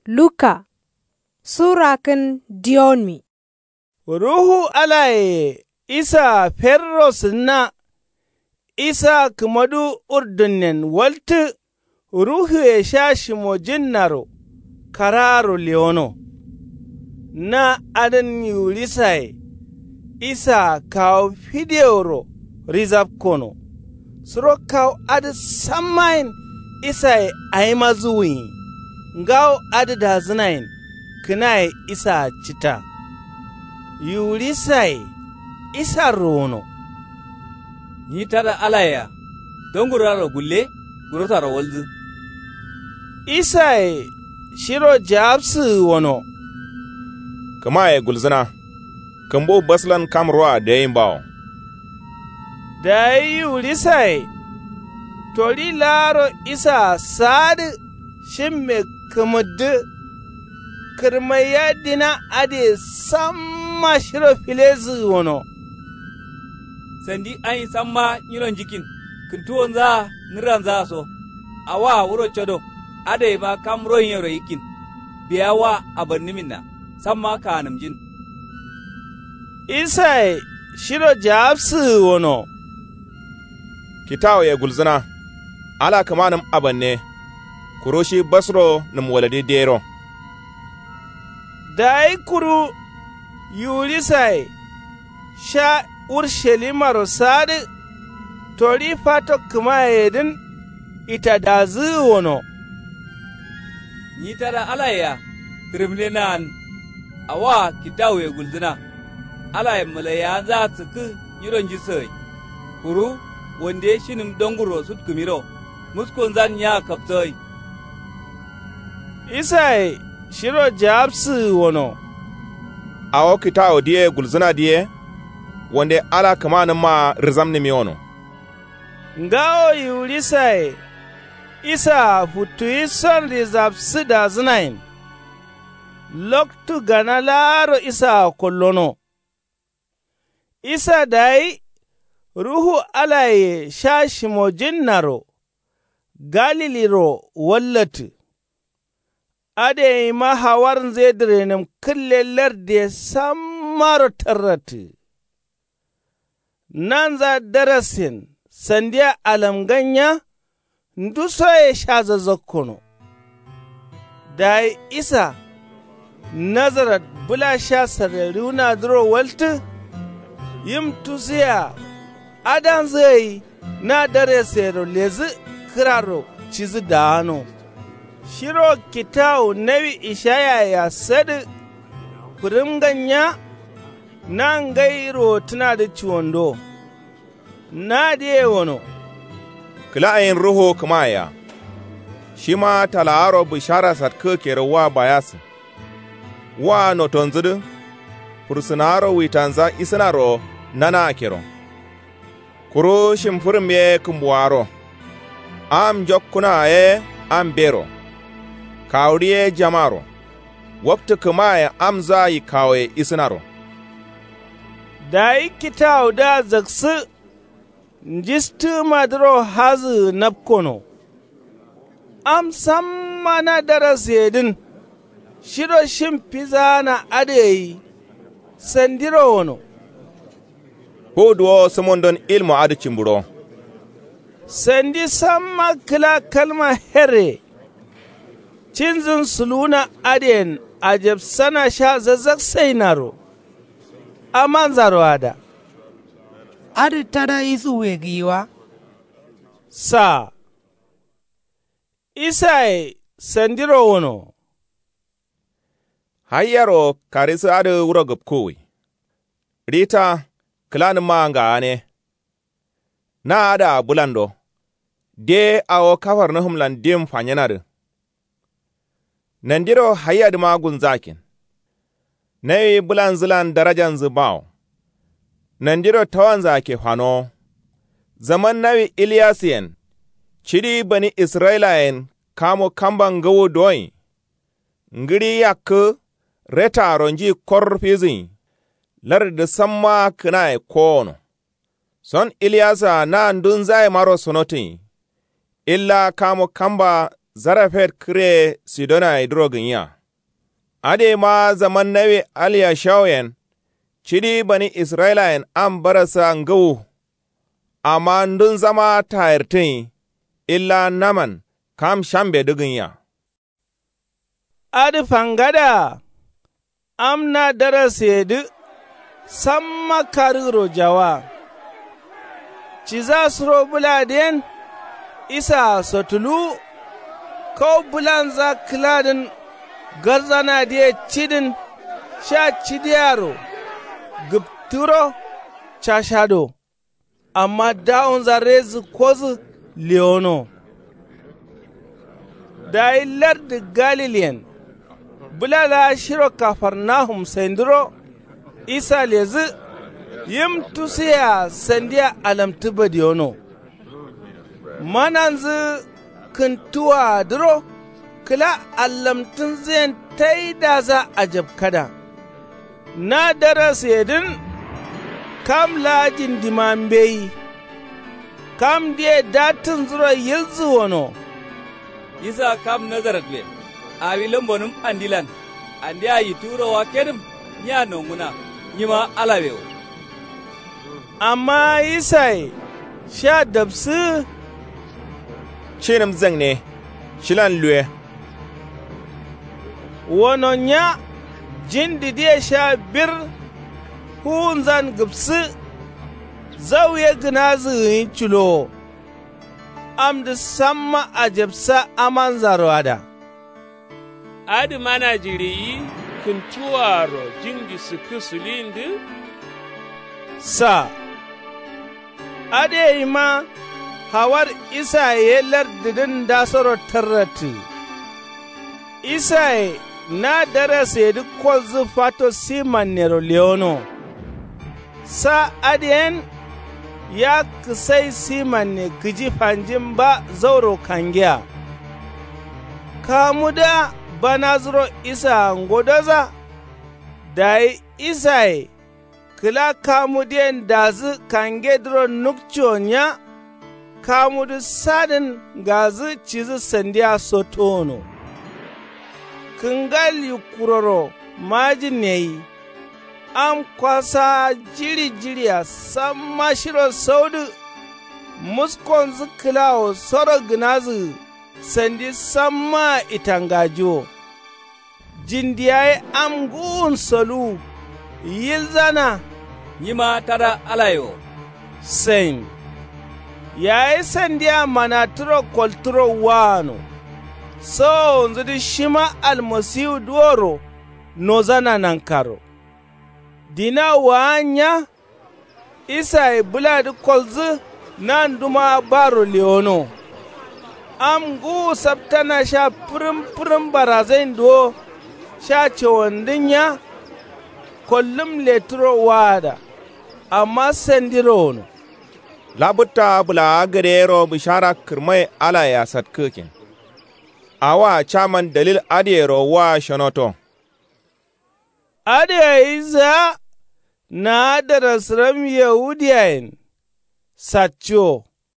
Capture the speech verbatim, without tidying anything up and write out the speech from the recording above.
Luka sura kǝn diyonmi. Ruhu alaye isa ferro sǝnna. Isa kǝmadu urdunnen waltǝ. Ruhuye sha shimojinnaro karaaro lewono. Na adǝn yiwurisaye isa kawu fideworo rizabkono. Suro kawu adǝ sammayen isaye awima zuwuyi. Ngawo adǝ dazǝnayen kǝnaye isaa cǝta. Yiwurisaye isarro wono. Nyi tada alayea donguraro gulle. Gurosaro walzǝ. Isaye shiro jawabsǝgǝ wono. Kǝmaye gulzǝna. Kǝmbu baslan kam roa dǝyeyin bawo. Dayi yiwurisaye tori laaro isaa saadǝ shimme kǝmǝddǝ. Kǝrmaiya dina adǝye samma shiro filezǝgǝ wono. Sandi ain samma nyiro njikkin kǝntuwonzaa nǝrranzaa so. Awaa wuro codo adǝyeima kam royiyero yikkin. Biya wa abannǝminna samma kaanǝmjin. Isaye shiro jawabsǝgǝ wono. Kitawoye gulzǝna. Ala kǝmanǝm abanne. Kuru shi basro nǝmwaladi dero. Dayi kuru yiwurisaye sha urshalimaro sadǝ. Tori fato kǝmayeyedǝn itadazǝgǝ wono. Nyi tada alayea tǝrǝmne naan. Awaa kitawuye gulzǝna. Alaye malaiyawanzaa sǝkkǝ nyiro njissǝgai. Kuru wande shinǝm dongurro sutkǝmiro muskonzan nyaa kapsǝgai. Isaye shiro jawabsǝgǝ wono. Awo kitawu diye gulzǝnadǝ ye. Wande ala kǝmanǝmmaa rizamnǝmi wono. Ngawo yiwurisaye isaa futtuwi son rizabsǝdazǝnayen. Loktu gana laaro isaa kollono. Isa dayi ruhu alaye sha shimojinnaro galiliro wallattǝ. Adǝ yeima hawarnzǝ ye dǝrenǝm kǝlle lardiye sammaro tarrattǝ. Nanza darasen sandiya alamganya ndusoye sha zazzakkono. Dayi isa nazarat bǝla sha sarrariwunadǝro waltǝ. Yim tusuye-a adanzǝ gai na daresero ledǝ kǝraro cidǝ daano. Shiro kitawu nawi ishayaye-a sadǝ fǝrǝmganya. Na ngai ruwotǝnadǝ cuwando. Nadǝye wono. Kǝla ain ruhu kǝmayea. Shima talaaro bǝshara satkǝgǝ kero wa bayasǝ. Wa notonzǝdǝ fursǝnaaro witanza isǝnaro nanaa kero. Kuru shimfǝrǝm ye kǝmbuwaro. Am njokkunaa ye ambero. Kawudǝ ye jamaro. Waptǝ kǝmaye amzaa yikkawoye isǝnaro. Dayi kitawudǝa zaksǝ. Njistǝgǝmadǝro hazǝgǝ napkono. Am samma na darasǝyedǝn shiro shim fizaana adǝ gai sandiro wono. Fu duwo sǝmondon ilmu adǝ cimburo. Sandi samma kǝla kalma herre. Cinzǝn suluwuna adǝyen ajabsana sha zazzaksainaro. Amanzaro ada. Adǝ tada isuwuye gǝyi wa. Saa. Isaye sandiro wono. Haiyaro karisǝ adǝ wuro gǝpkuwwi. Rita kǝlanǝmmaa ngaane. Na adǝa bǝlando. De awo kafarnahumlan dim fanyinadǝ. Nandiro haiyadǝma gulnzakin. Nawi bǝlanzǝlan darajanzǝ bawo. Nandiro tawanzǝ akke fanowo. Zaman nawi iliyasǝyen. Cidi bani israyilayen kamo kamba ngǝwu doin. Ngǝɍi yakkǝ retaaro nji kor fizǝnyi. Lardǝdǝ sammaa kǝnaye kowono. Son iliyasǝa na ndunzayemaro sonotǝnyi. Illa kamo kamba zarafet kǝre sidonayedǝro gǝnyiya. Adǝyeima zaman nawi alyashawoyen cidi bani israyilayen am barassa ngǝwu. Amma ndunzama tayirtǝnyi illa naman kam shambedǝ gǝnya. Adǝ fangada-a am na daraseyedǝ samma karǝgǝro jawa. Ciza suro bǝladǝ yen isaa sotuluwu. Kau bǝlanza kǝladǝn garzanadǝye cidǝn sha cidiaro gǝptǝro cashado. Amma dawonza rezǝ kozǝ lewono. Dayi lardǝ galilyen bǝla laa shiro kafarnahum saindǝro isa ledǝ. Yim tusuye-a sandiya alamtǝ badiyono. Mananzǝ kǝntuwaadǝro kǝla allamtǝnzǝyen taidadǝa ajapkada. Na daraseyedǝn kam laa jindima mbeyi. Kamdǝye dattǝnzuro yilzǝ wono. Isa kam nazaretben awi lambonǝm andilan. Andeya yittǝ wuro wakkedǝm nya nonguna. Nyima alawe wo. Amma isaye sha dabsǝgǝ. Cinǝm zangne shilan luwe. Wono nya jindidǝye sha bir. Fuwunzan gǝpsǝ. Zau ye gǝnazǝ gǝnyi culowo. Amdǝ samma ajapsa amanzaro ada. Adǝ mana jiɍiyi kǝntuwaaro jindi sǝkkǝ sǝliyindǝ. Sa adǝ yeima hawar isaye ye lardǝdǝn ndasoro tarrattǝ. Isaye na daraseyedǝ kolzǝ fato simannero lewono. Sa adǝ yen ya kǝsai simanne kǝji fanjin ba zauro kangiya. Kamudǝa banazǝro isaa ngodoza. Dayi isaye kǝla kamudǝyen dazǝ kangedǝro nukciwo nya. Kamudǝ sadǝn ngazǝ cidǝ sandiya sottowono. Kǝngal yikkuroro majin yeyi. Am kwasaa jiɍi jiɍia samma shiro saudǝ. Muskonzǝ kǝlawo soro gǝnazǝgǝ sandi sammaa itangajiwo. Jindi yayi am ngǝwun soluwu yilzana. Nyima tada alaye wo. Sain yayi sandiya manatǝro koltǝro waano. Sowowonzudǝ shima almasiwu duworo nozana nankaro. Dina waan nya. Isaye bǝladǝ kolzǝ nandumaa baro lewono. Am ngǝwu saptana sha pǝrǝm pǝrǝm barazain duwo. Sha cawandǝ nya. Kollǝm lettǝro waada. Amma sandiro wono. Labǝtta bǝlaa gade yero bǝshara kǝrmai alaye asatkǝgǝkin. Awoa caman dalil adǝyero woa shonoto. Adǝ gayi zǝa. Naa darasǝram yawudiyayen satco.